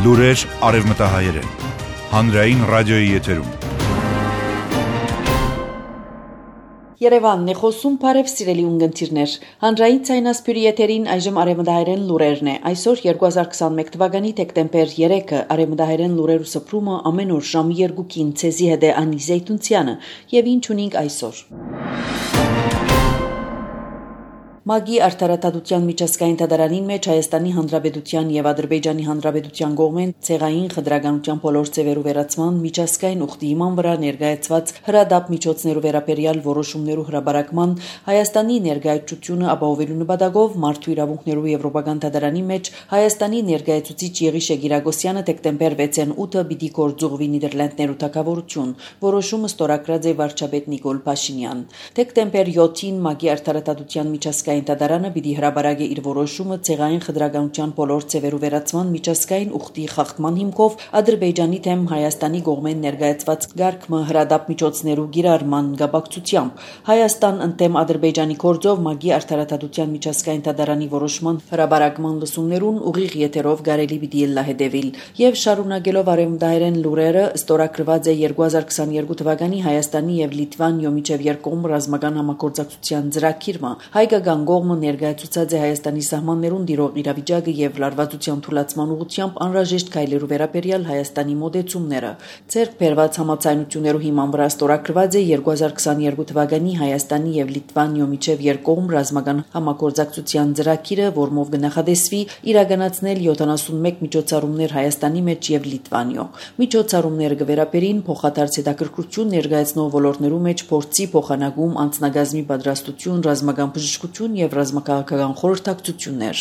Լուրեր արևմտահայերեն, հանրային ռադիոյի եթերում։ Երևանն է խոսում, բարև սիրելի ունգընտիրներ։ Հանրային ցայնասպյուրի եթերին այժմ արևմտահայերեն լուրերն է։ Այսօր 2021 թվականի դեկտեմբեր 3-ը արևմտահայերեն լուրեր ու սփռումը ամեն օր ժամի 2-ին ցեզի հետ է Անի Զեյթունցյանը, եւ ինչ ունենք այսօր։ Մագի արդարադատության միջազգային դատարանին մեջ Հայաստանի Հանրապետության եւ Ադրբեջանի Հանրապետության կողմեն ցեղային խտրականության բոլոր ձևերու վերացման միջազգային ուխտի հիման վրա ներկայացված հրադապ միջոցներու վերաբերյալ որոշումներու հրաբարակման Հայաստանի ներկայացությունը ապահովելու նպատակով Մարդու իրավունքներու եվրոպական դատարանի մեջ Հայաստանի ներկայացուցիչ Եղիշե Գիրագոսյանը դեկտեմբեր 6-ին 8-ը պիտի գործուղվի Նիդերլանդներու թագավորություն։ Որոշումը ստորագրած է վարչապետ Նիկոլ Փաշինյան։ Դեկտեմբեր 7-ին Մագի արդարադատության միջազգային դատարանը պիտի հրաբարակի իր որոշումը ցեղային խտրականության բոլոր ձևերու վերացման միջազգային ուխտի խախտման հիմքով Ադրբեջանի դեմ Հայաստանի կողմեն ներկայացված գարկմը հրադապ միջոցներու գիրառման կապակցությամբ Հայաստան ընդդեմ Ադրբեջանի գործով Մագի արդարադատության միջազգային դատարանի որոշման հրաբարակման լսումներուն ուղիղ եթերով կարելի պիտի լահետևիլ եւ շարունակելով արևմտահայերեն լուրերը ստորագրված է 2022 թվականի Հայաստանի եւ Լիտվանիո միջև երկկողմ ռազմական համագործակցության ծրագիրը հայկական կողմը ներկայացուցած է Հայաստանի սահմաններուն դիրող իրավիճակը եւ լարվածության թույլատման ուղղությամբ անհրաժեշտ քայլերու վերաբերյալ Հայաստանի մոտեցումները։ Ձեռք բերված համաձայնություններու հիման վրա ստորագրված է 2022 թվականի Հայաստանի եւ Լիտվանիո միջև երկկողմ ռազմական համագործակցության ծրագիրը, որմով կնախադեсվի իրականացնել 71 միջոցառումներ Հայաստանի մեջ եւ Լիտվանիո։ Միջոցառումները կվերաբերին փոխադարձ հետաքրքրություն ներկայացնող ոլորտներու մեջ փորձի փոխանակում, անձնագազմի պատրաստություն, ռազմական բժշկություն եւ ռազմաքաղաքական խորհրդակցություններ։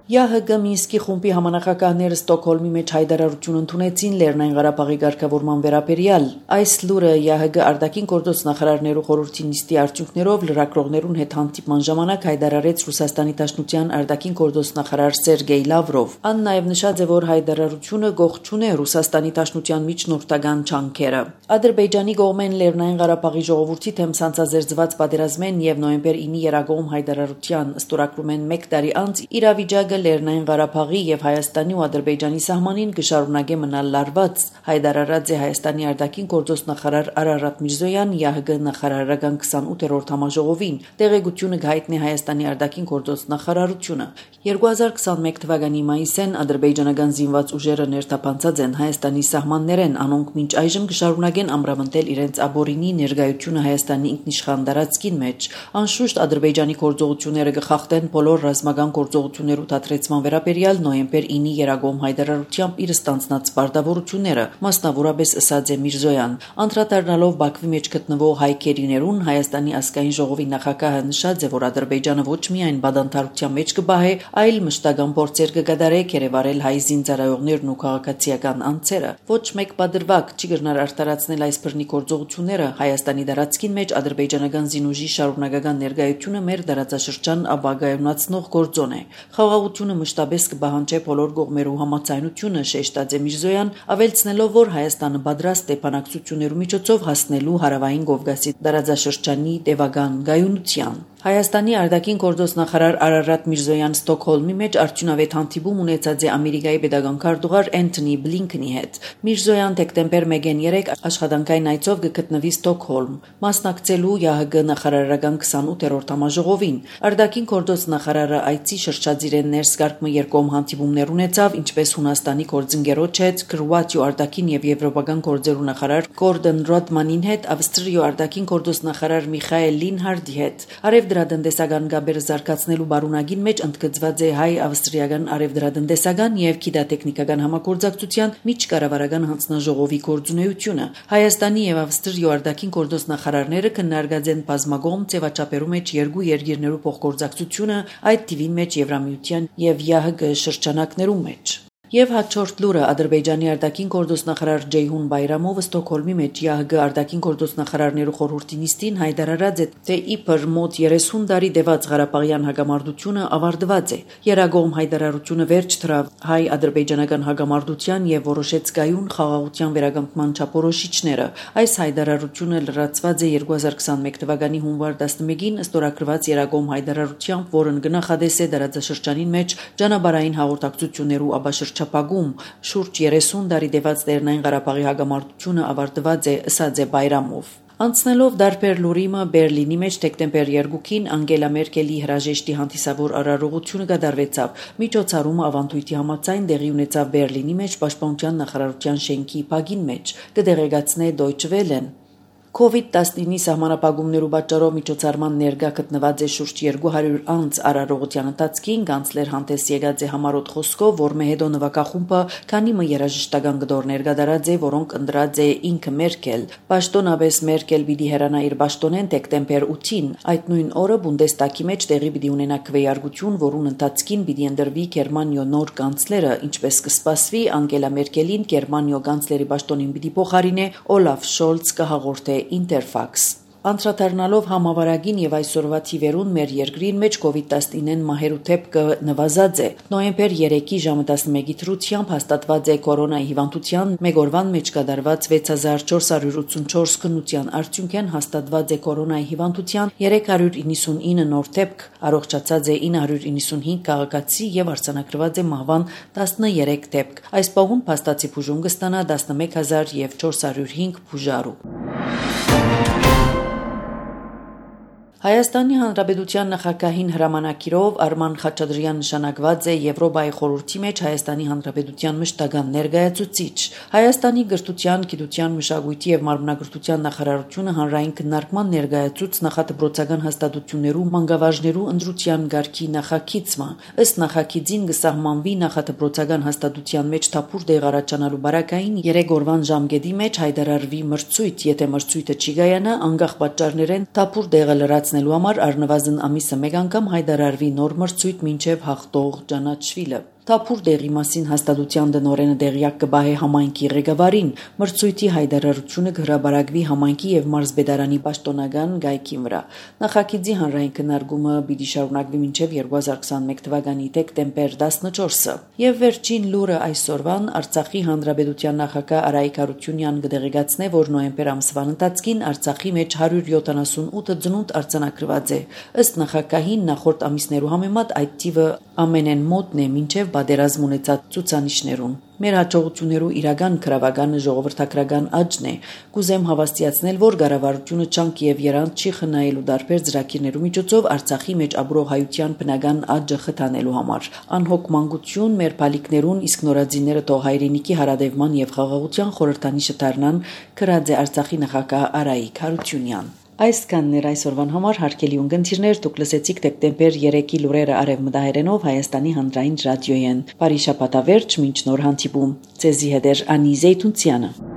ՀՀԳ Մինսկի խումբի համանախագահները Ստոկհոլմի մեջ հայտարարություն ընդունեցին Լեռնային Ղարաբաղի ղեկավարման վերաբերյալ։ Այս լուրը ՀՀԳ արտաքին գործոց նախարարներու խորհրդի նիստի արդյունքներով լրագրողներուն հետ հանդիպման ժամանակ հայտարարեց Ռուսաստանի Դաշնության արտաքին գործոց նախարար Սերգեյ Լավրով։ Ան նաև նշած է, որ հայտարարությունը գողջուն է Ռուսաստանի Դաշնության միջնորդական ջանքերը։ Ադրբեջանի կողմեն Լեռնային Ղարաբաղի ժողովրդի դեմ ցանցազերծված պատերազմեն եւ նոյեմբեր 9-ի երագողմ հայտարարության ստորագրում են 1 տարի անց իրավիճակը Լեռնային Ղարաբաղի եւ Հայաստանի ու Ադրբեջանի սահմանին կշարունակե մնալ լարված, հայտարարած է Հայաստանի արտաքին գործոց նախարար Արարատ Միրզոյան ՀՀԳ նախարարական 28-րդ համաժողովին։ Տեղեկությունը կհայտնի Հայաստանի արտաքին գործոց նախարարությունը։ 2021 թվականի մայիսին ադրբեջանական զինված ուժերը ներթափանցած են Հայաստանի սահմաններեն, անոնք մինչ այժմ կշարունակեն ամրապնդել իրենց աբորինի ներկայությունը Հայաստանի ինքնիշխան տարածքին մեջ։ Անշուշտ Ադրբեջանի գործողությունները կխախտեն բոլոր ռազմական գործողություններու դադրեցման վերաբերյալ նոյեմբեր 9-ի երագողմ հայտարարությամբ իր ստանձնած պարտավորությունները, մասնավորապես ըսած է Միրզոյան։ Անդրադառնալով Բաքվի մեջ գտնվող հայ քերիներուն Հայաստանի ազգային ժողովի նախագահը նշած է, որ Ադրբեջանը ոչ միայն բադանթարության մեջ կբահե, այլ մշտական փորձեր կկատարե կերևարել հայ զինծառայողներն ու քաղաքացիական անձերը։ Ոչ մեկ պատրվակ չի գտնար արտարացնել այս բռնի գործողությունները Հայաստանի տարածքին մեջ ադրբեջանական զինուժի շարունակական ներկայությունը մեր տարածաշրջան ապագայունացնող գործոն է։ Խաղաղությունը մշտապես կպահանջի բոլոր կողմերու համաձայնությունը, շեշտած է Միրզոյան, ավելցնելով, որ Հայաստանը պատրաստ է բանակցություններու միջոցով հասնելու Հարավային Կովկասի տարածաշրջանի տևական գայունության։ Հայաստանի արտաքին գործոց նախարար Արարատ Միրզոյան Ստոկհոլմի մեջ արդյունավետ հանդիպում ունեցած է Ամերիկայի պետական քարտուղար Էնթոնի Բլինքենի հետ։ Միրզոյան դեկտեմբեր 1-ին 3 աշխատանքային այցով կգտնվի Ստոկհոլմ, մասնակցելու ՀՀԳ նախարարական 28-րդ համաժողովին։ Արտաքին գործոց նախարարը այցի շրջածիրեն ներսկարկմը երկկողմ հանդիպումներ ունեցավ, ինչպես Հունաստանի գործընկերոջ հետ, Քրոատիո արտաքին եւ եվրոպական գործերու նախարար Գորդոն Ռոդմանին հետ, Ավստրիո արտաքին գործոց նախարար Միխայել Լինհարդի հետ։ Արևդրատնտեսական գաբերը զարգացնելու բարունակին մեջ ընդգծված է հայ-ավստրիական արևդրատնտեսական եւ գիտատեխնիկական համագործակցության միջկառավարական հանձնաժողովի գործունեությունը։ Հայաստանի եւ Ավստրիո արտաքին գործոց նախարարները քննարկած են բազմակողմ ձևաչափերու մեջ երկու երկիրներու փոխգործակցությունը, այդ թիվին մեջ Եվրամիության եւ ՀՀԳ շրջանակներու մեջ։ Եվ հաջորդ լուրը Ադրբեջանի արտաքին գործոստնախարար Ջեյհուն Բայրամովը Ստոկհոլմի մեջ ՀՀԳ արտաքին գործոստնախարարներու խորհրդի նիստին հայտարարած է, թե իբր մոտ 30 տարի դեված Ղարաբաղյան հագամարտությունը ավարտված է։ Երագողմ հայտարարությունը վերջ դրավ հայ-ադրբեջանական հագամարտության եւ որոշեց կայուն խաղաղության վերականգնման չափորոշիչները։ Այս հայտարարությունը լրացված է 2021 թվականի հունվար 11-ին ստորագրված Երագողմ հայտարարությամբ, որն գնահատես է դարաձաշրջանին մեջ ճանապարհային հաղորդակցություններու աբաշրջապագում շուրջ 30 տարի դեված Լեռնային Ղարաբաղի հագամարտությունը ավարտված է, ըսած է Բայրամով։ Անցնելով դարբեր լուրիմը Բերլինի մեջ դեկտեմբեր 2-ին Անգելա Մերկելի հրաժեշտի հանդիսավոր արարողությունը կատարվեցավ։ Միջոցառումը ավանդույթի համաձայն տեղի ունեցավ Բերլինի մեջ Պաշտպանության նախարարության շենքի բակին մեջ, կդեղեկացնե Deutsche Welle-ն։ COVID-19 սահմանապահումներու պատճառով միջոցառման ներկա գտնված է շուրջ 200 անց արարողության ընթացքին կանցլեր հանդես եկած է համառոտ խոսքով, որ մեհեդո նվակախումբը քանի մը երաժշտական գդորներ կատարած է, որոնք ընտրած է ինքը Մերկել։ Պաշտոնապես Մերկել պիտի հեռանա իր պաշտոնեն դեկտեմբեր 8-ին։ Այդ նույն օրը Բունդեստագի մեջ տեղի պիտի ունենա քվեարկություն, որուն ընթացքին պիտի ընտրվի Գերմանիո նոր կանցլերը, ինչպես կսպասվի Անգելա Մերկելին Գերմանիո կանցլերի պաշտոնին պիտի փոխարինե Օլաֆ Շոլց կհաղորդե Interfax։ Անդրադառնալով համավարակին եւ այսօրվա թիվերուն մեր երկրին մեջ COVID-19 մահերու դեպքը նվազած է։ Նոյեմբեր 3-ի ժամը 11-ի դրությամբ հաստատված է կորոնայի հիվանդության մեկ օրվան մեջ կատարված 6484 քննության արդյունքեն հաստատված է կորոնայի հիվանդության 399 նոր դեպք, առողջացած է 995 քաղաքացի եւ արձանագրված է մահվան 13 դեպք։ Այս պահուն փաստացի բուժում կստանա 11405 բուժարու։ Հայաստանի Հանրապետության նախագահին հրամանակիրով Արման Խաչատրյան նշանակված է Եվրոպայի խորհրդի մեջ Հայաստանի Հանրապետության մշտական ներկայացուցիչ։ Հայաստանի գրթության, գիտության, մշակույթի եւ մարմնագրթության նախարարությունը հանրային քննարկման ներկայացուց նախադպրոցական հաստատություններու մանկավարժներու ընտրության գարկի նախագիծը։ Ըստ նախագիծին կսահմանվի նախադպրոցական հաստատության մեջ թափուր դեղ առաջանալու բարակային 3 օրվան ժամկետի մեջ հայտարարվի մրցույթ, եթե մրցույթը չի կայանա, անկախ պատճառներեն թափուր դեղը լրացնելու համար առնվազն ամիսը մեկ անգամ հայտարարվի նոր մրցույթ մինչև հաղթող ճանաչվելը։ Թափուր դեղի մասին հաստատության տնօրենը դեղյակ կբահե համայնքի ղեկավարին։ Մրցույթի հայտարարությունը կհրապարակվի համայնքի եւ մարզպետարանի պաշտոնական գայքի վրա։ Նախագիծի հանրային քննարկումը պիտի շարունակվի մինչև 2021 թվականի դեկտեմբեր 14-ը։ Եվ վերջին լուրը այսօրվան Արցախի Հանրապետության նախագահ Արայիկ Հարությունյանն կդեղեկացնե, որ նոյեմբեր ամսվան ընթացքին Արցախի մեջ 178 ծնունդ արձանագրված է։ Ըստ նախագահին նախորդ ամիսներու համեմատ այդ թիվը ամենեն մոտն է մինչև պատերազմ ունեցած ցուցանիշներուն։ Մեր հաջողություններու իրական քրավականը ժողովրդական աճն է։ Կուզեմ հավաստիացնել, որ կառավարությունը չանք եւ երանց չի խնայելու դարբեր ծրագիրներու միջոցով Արցախի մեջ ապրող հայության բնական աճը խթանելու համար։ Անհոգ մանկություն մեր բալիկներուն, իսկ նորածինները թող հայրենիքի հարադևման եւ խաղաղության խորհրդանիշը դառնան, գրած է Արցախի նախագահ Արայիկ Հարությունյան։ Այսքանն էր այսօրվան համար հարգելի ունկնդիրներ, դուք լսեցիք դեկտեմբեր 3-ի լուրերը արևմտահայերենով Հայաստանի հանրային ռադիոյեն։ Բարի շաբաթավերջ, մինչ նոր հանդիպում։ Ձեզի հետ էր Անի Զեյթունցյանը։